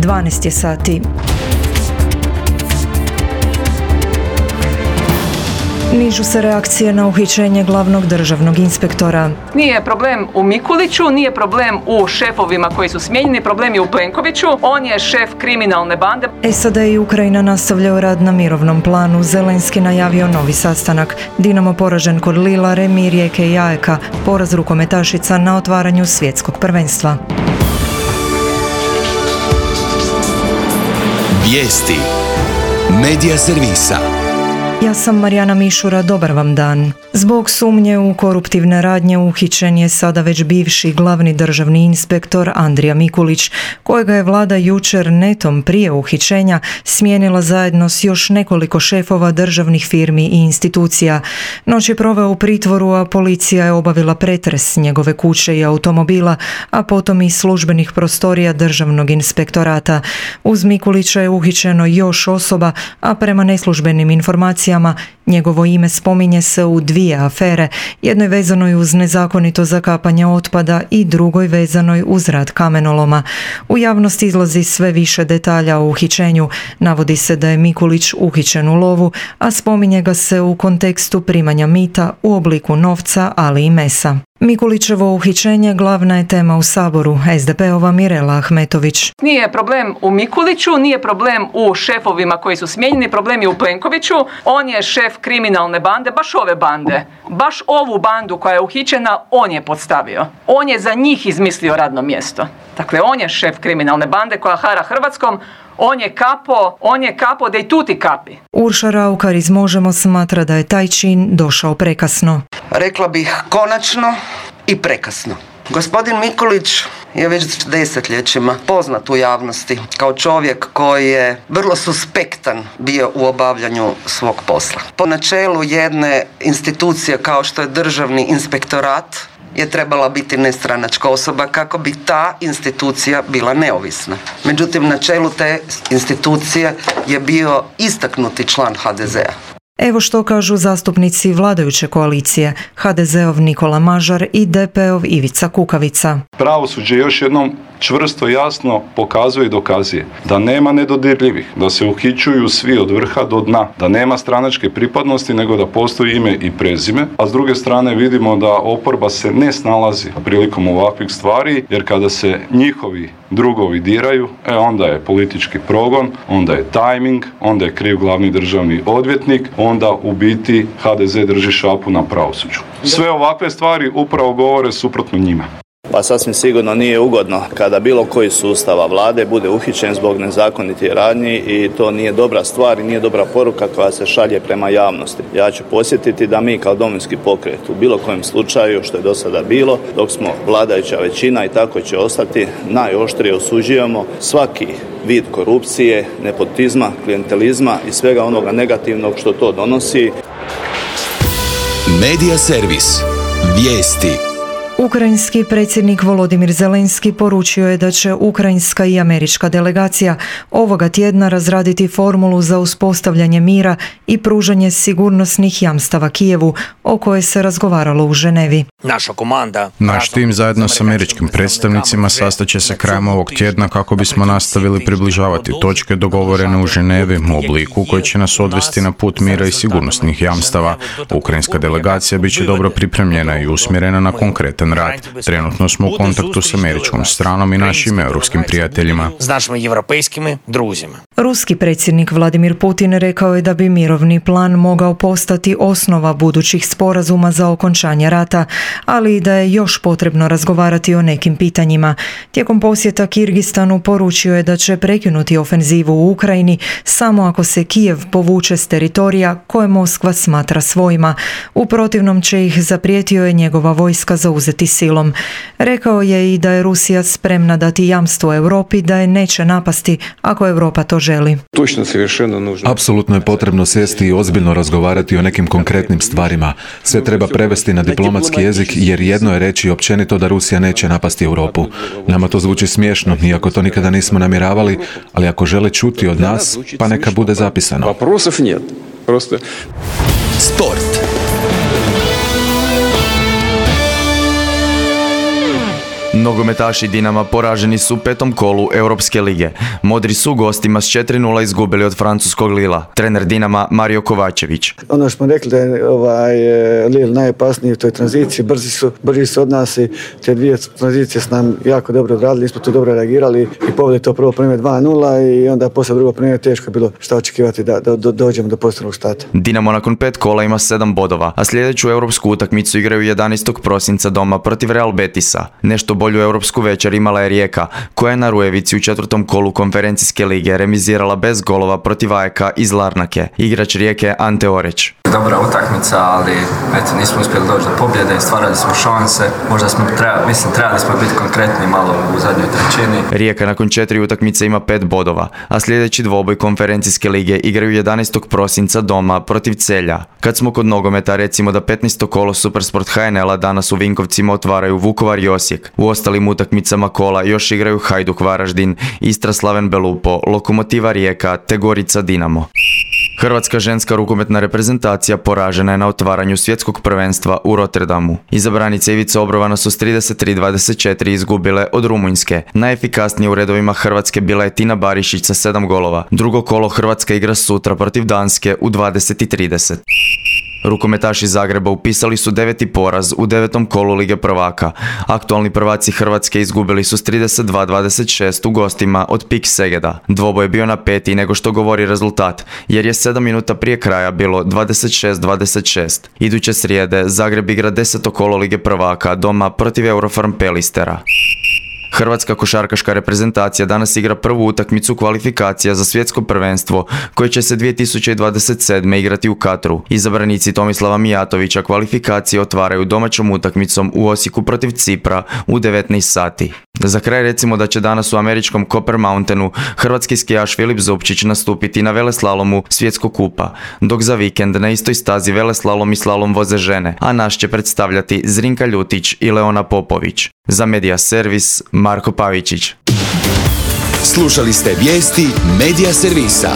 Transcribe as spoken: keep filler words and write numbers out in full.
dvanaest je sati. Nižu se reakcije na uhićenje glavnog državnog inspektora. Nije problem u Mikuliću, nije problem u šefovima koji su smijenjeni, problem je u Plenkoviću, on je šef kriminalne bande. S A D i Ukrajina nastavljaju rad na mirovnom planu. Zelenski najavio novi sastanak. Dinamo poražen kod Lila, remi Rijeke i A E K, poraz rukometašica na otvaranju svjetskog prvenstva. Vijesti Medija servisa. Ja sam Marijana Mišura, dobar vam dan. Zbog sumnje u koruptivne radnje uhićen je sada već bivši glavni državni inspektor Andrija Mikulić, kojega je vlada jučer netom prije uhićenja smijenila zajedno s još nekoliko šefova državnih firmi i institucija. Noć je proveo u pritvoru, a policija je obavila pretres njegove kuće i automobila, a potom i službenih prostorija državnog inspektorata. Uz Mikulića je uhićeno još osoba, a prema neslužbenim informacijama njegovo ime spominje se u dvije afere, jednoj vezanoj uz nezakonito zakapanje otpada i drugoj vezanoj uz rad kamenoloma. U javnosti izlazi sve više detalja o uhićenju. Navodi se da je Mikulić uhićen u lovu, a spominje ga se u kontekstu primanja mita u obliku novca, ali i mesa. Mikulićevo uhićenje glavna je tema u Saboru. S D P-ova Mirela Ahmetović. Nije problem u Mikuliću, nije problem u šefovima koji su smijenjeni, problem je u Plenkoviću. On je šef kriminalne bande, baš ove bande. Baš ovu bandu koja je uhićena, on je podstavio. On je za njih izmislio radno mjesto. Dakle, on je šef kriminalne bande koja hara Hrvatskom. On je kapo, on je kapo da i tuti kapi. Urša Raukar iz Možemo smatra da je taj čin došao prekasno. Rekla bih konačno i prekasno. Gospodin Mikulić je već desetljećima poznat u javnosti kao čovjek koji je vrlo suspektan bio u obavljanju svog posla. Po načelu jedne institucije kao što je Državni inspektorat je trebala biti nestranačka osoba kako bi ta institucija bila neovisna. Međutim, na čelu te institucije je bio istaknuti član H D Z-a. Evo što kažu zastupnici vladajuće koalicije, H D Z-ov Nikola Mažar i D P-ov Ivica Kukavica. Pravosuđe još jednom čvrsto jasno pokazuje i dokazuje da nema nedodirljivih, da se uhićuju svi od vrha do dna, da nema stranačke pripadnosti nego da postoji ime i prezime, a s druge strane vidimo da oporba se ne snalazi prilikom ovakvih stvari, jer kada se njihovi drugovi diraju, e onda je politički progon, onda je tajming, onda je kriv glavni državni odvjetnik, onda u biti H D Z drži šapu na pravosuđu. Sve ovakve stvari upravo govore suprotno njima. Pa sasvim sigurno nije ugodno kada bilo koji sustava vlade bude uhićen zbog nezakonitih radnji i to nije dobra stvar i nije dobra poruka koja se šalje prema javnosti. Ja ću podsjetiti da mi kao Domovinski pokret u bilo kojem slučaju što je do sada bilo, dok smo vladajuća većina i tako će ostati, najoštrije osuđujemo svaki vid korupcije, nepotizma, klijentelizma i svega onoga negativnog što to donosi. Medija servis. Vijesti. Ukrajinski predsjednik Volodimir Zelenski poručio je da će ukrajinska i američka delegacija ovoga tjedna razraditi formulu za uspostavljanje mira i pružanje sigurnosnih jamstava Kijevu, o kojoj se razgovaralo u Ženevi. Naša komanda, Naš tim zajedno s američkim predstavnicima sastaće se krajem ovog tjedna kako bismo nastavili približavati točke dogovorene u Ženevi u obliku koji će nas odvesti na put mira i sigurnosnih jamstava. Ukrajinska delegacija bit će dobro pripremljena i usmjerena na konkretan rad. Trenutno smo u kontaktu s američkom stranom i našim europskim prijateljima. S našim evropejskim druzima. Ruski predsjednik Vladimir Putin rekao je da bi mirovni plan mogao postati osnova budućih sporazuma za okončanje rata, ali i da je još potrebno razgovarati o nekim pitanjima. Tijekom posjeta Kirgistanu poručio je da će prekinuti ofenzivu u Ukrajini samo ako se Kijev povuče s teritorija koje Moskva smatra svojima. U protivnom će ih, zaprijetio je, njegova vojska zauzeti silom. Rekao je i da je Rusija spremna dati jamstvo Europi da je neće napasti ako Europa to želi. Apsolutno je potrebno sjesti i ozbiljno razgovarati o nekim konkretnim stvarima. Sve treba prevesti na diplomatski jezik, jer jedno je reći općenito da Rusija neće napasti Europu. Nama to zvuči smiješno, iako to nikada nismo namjeravali, ali ako žele čuti od nas, pa neka bude zapisano. Sport. Nogometaši Dinama poraženi su u petom kolu Europske lige. Modri su gostima s četiri nula izgubili od francuskog Lila. Trener Dinama Mario Kovačević. Ono što smo rekli da je ovaj, Lille najopasniji u toj tranziciji, brzi su, brži su od nas i te dvije tranzicije su nam jako dobro odradili, nismo tu dobro reagirali i povedali to prvo primjer dva nula i onda poslije drugo primjer teško je bilo šta očekivati da, da, da dođemo do posljednog stata. Dinamo nakon pet kola ima sedam bodova, a sljedeću europsku utakmicu igraju jedanaestog prosinca doma protiv Real Betisa. Nešto bolju europsku večer imala je Rijeka, koja je na Rujevici u četvrtom kolu konferencijske lige remizirala bez golova protiv A E K iz Larnake. Igrač Rijeke Ante Oreć. Dobra utakmica, ali eto, nismo uspjeli doći do pobjede, stvarali smo šanse, možda smo trebali, mislim, trebali smo biti konkretni malo u zadnjoj trećini. Rijeka nakon četiri utakmice ima pet bodova, a sljedeći dvoboj konferencijske lige igraju jedanaestog prosinca doma protiv Celja. Kad smo kod nogometa, recimo da petnaesto kolo Supersport H N L-a danas u Vinkovcima otvaraju Vukovar i Osijek. U ostalim utakmicama kola još igraju Hajduk Varaždin, Istra Slaven Belupo, Lokomotiva Rijeka te Gorica Dinamo. Hrvatska ženska rukometna reprezentacija poražena je na otvaranju svjetskog prvenstva u Rotterdamu. Izabranice Ivice Obrovana su s trideset tri dvadeset četiri izgubile od Rumunjske. Najefikasnije u redovima Hrvatske bila je Tina Barišić sa sedam golova. Drugo kolo Hrvatska igra sutra protiv Danske u dvadeset i trideset. Rukometaši Zagreba upisali su deveti poraz u devetom kolu Lige prvaka. Aktualni prvaci Hrvatske izgubili su s trideset dva dvadeset šest u gostima od Pik Segeda. Dvoboj je bio napetiji nego što govori rezultat, jer je sedam minuta prije kraja bilo dvadeset šest dvadeset šest. Iduće srijede Zagreb igra deseto kolo Lige prvaka doma protiv Eurofarm Pelistera. Hrvatska košarkaška reprezentacija danas igra prvu utakmicu kvalifikacija za svjetsko prvenstvo koje će se dvije tisuće dvadeset sedme igrati u Katru. Izabranici Tomislava Mijatovića kvalifikacije otvaraju domaćom utakmicom u Osijeku protiv Cipra u devetnaest sati. Za kraj recimo da će danas u američkom Copper Mountainu hrvatski skijaš Filip Zupčić nastupiti na veleslalomu svjetskog kupa, dok za vikend na istoj stazi veleslalom i slalom voze žene, a naš će predstavljati Zrinka Ljutić i Leona Popović. Za Media Servis Marko Pavičić. Slušali ste vijesti Media Servisa.